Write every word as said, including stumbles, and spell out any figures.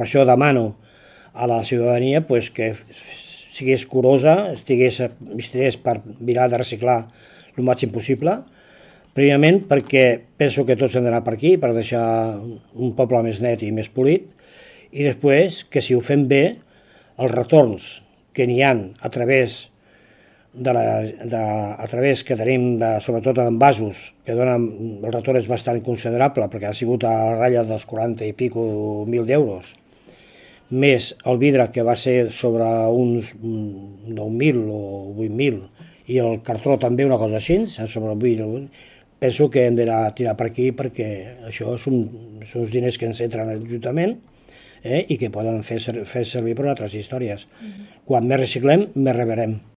Per això demano a la ciutadania pues, que sigués curosa, estigués, estigués per mirar de reciclar el màxim possible, primerament perquè penso que tots hem d'anar per aquí, per deixar un poble més net i més polit, i després que si ho fem bé, els retorns que n'hi ha a través de la, de, a través que tenim de, sobretot d'envasos, que donen, el retorn és bastant considerable perquè ha sigut a la ratlla dels quaranta i pico mil d'euros, més el vidre que va ser sobre uns nou mil o vuit mil i el cartró també una cosa així, sobre vuit mil, penso que hem d'anar a tirar per aquí perquè això són, són uns diners que ens entren a l'Ajuntament eh, i que poden fer, fer servir per altres històries. Mm-hmm. Quan més reciclem, més rebrem.